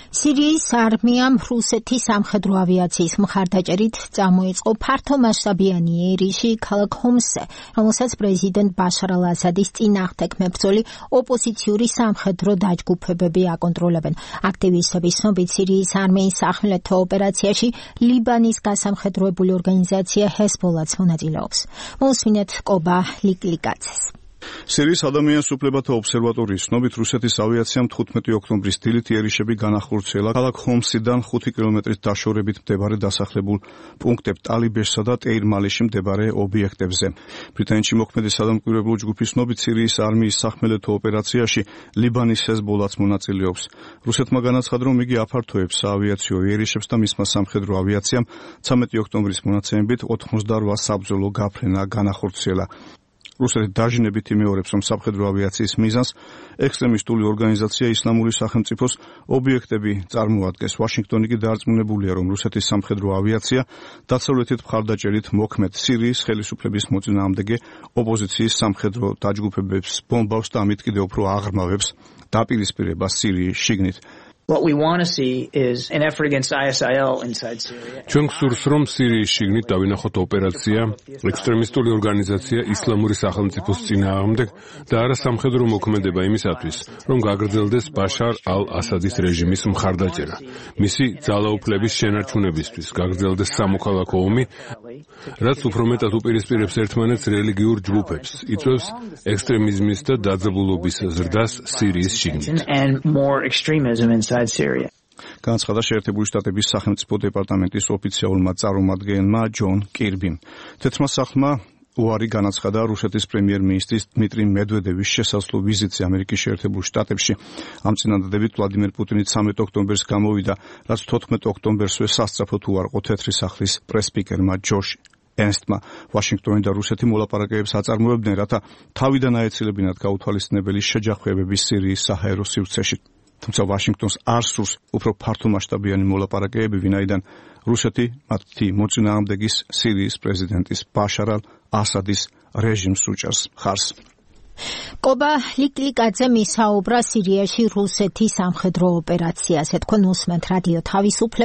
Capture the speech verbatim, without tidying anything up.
სირიის არმიამ რუსეთის სამხედრო ავიაციის მხარდაჭერით წამოიწყო ფართომასშტაბიანი ერიში ქალაქ ჰომსზე, რომელსაც პრეზიდენტ ბაშარ ალ-ასადის წინააღმდეგ მებრძოლი ოპოზიციური სამხედრო დაჯგუფებები აკონტროლებენ. აქტივისტების ცნობით, სირიის არმიის სახმელეთო ოპერაციაში ლიბანის გასამხედროებული ორგანიზაცია ჰეზბოლაც მონაწილეობს. მოусმინეთ კობა ლიკლიკაძეს. სირიის ადამიანის უფლებათა ობსერვატორიის ცნობით, რუსეთის ავიაციამ თხუთმეტი ოქტომბრის დილით ერიშები განახორციელა ქალაქ ჰომსიდან ხუთი კილომეტრის დაშორებით მდებარე დასახლებულ პუნქტებ ტალიბეშსა და ტეირ-მალიში მდებარე ობიექტებზე. ბრიტანეთში მოქმედი სადამკვირვებლო ჯგუფის ცნობით, სირიის არმიის სახმელეთო ოპერაციაში ლიბანის ჰეზბოლაც მონაწილეობს. რუსეთმა განაცხადა, რომ იგი აფართოებს საავიაციო ერიშებს და მისმა სამხედრო ავიაციამ ცამეტი ოქტომბრის მონაცემებით ოთხმოცდაორ საბრძოლო გაფრენა განახორციელა. რუსეთი დაჟინებით იმეორებს, რომ სამხედრო ავიაციის მიზანს ექსტრემისტული ორგანიზაცია ისლამური სახელმწიფოს ობიექტები წარმოადგენს. ვაშინგტონი კი დაარწმუნებულია, რომ რუსეთის სამხედრო ავიაცია დასავლეთით მხარდაჭერით მოქმედ სირიის ხელისუფლების მოწინააღმდეგე ოპოზიციის სამხედრო დაჯგუფებებს ბომბავს და ამით კიდევ უფრო აღრმავებს დაპირისპირებას სირიის შიგნით. What we want to see is an effort against I S I L inside Syria. ჩვენ გსურს, რომ სირიის შიგნით დავინახოთ ოპერაცია ექსტრემისტული ორგანიზაცია ისლამური სახელმწიფოს წინააღმდეგ და არა სამხედრო მოქმედება იმისათვის, რომ გაგრძელდეს ბაშარ ალ-ასადის რეჟიმის მხარდაჭერა. მისი ძალაუფლების შენარჩუნებისთვის გაგრძელდეს სამოქალაქო ომი, რაც უფრო მეტად უპირისპირებს ერთმანეთს რელიგიურ ჯგუფებს, იწვევს ექსტრემიზმის და დაძაბულობის ზრდას სირიის შიგნით. განაცხადა შეერთებული შტატების სახელმწიფო დეპარტამენტის ოფიციალურმა წარმომადგენელმა ჯონ კირბიმ. თეთრმა სახლმა უარი განაცხადა რუსეთის პრემიერ-მინისტრის დმიტრი მედვედევის შესაძლო ვიზიტზე ამერიკის შეერთებულ შტატებში. ამ წინადადებით ვლადიმერ პუტინი ცამეტ ოქტომბერს გამოვიდა, რაც თოთხმეტ ოქტომბერსვე სასწრაფოდ უარყო თეთრი სახლის პრეს-სპიკერმა ჯოშ ენსტმა. ვაშინგტონი და რუსეთი მოლაპარაკებებს აწარმოებდნენ, რათა თავიდან აეცილებინათ გაუთვალისწინებელი შეჯახვეებების სირიის საჰაერო სივრცეში. თუმცა ვაშინგტონს არ სურს უფრო ფართომასშტაბიანი მოლაპარაკებები, ვინაიდან რუსეთი მათი მოწინააღმდეგის სირიის პრეზიდენტის ბაშარ ალ-ასადის რეჟიმს უჭერს ხარს. კობა ლიკლიკაძე მისაუბრა სირიაში რუსეთის სამხედრო ოპერაციაზე. თქვენ უსმენთ რადიო თავისუფლება.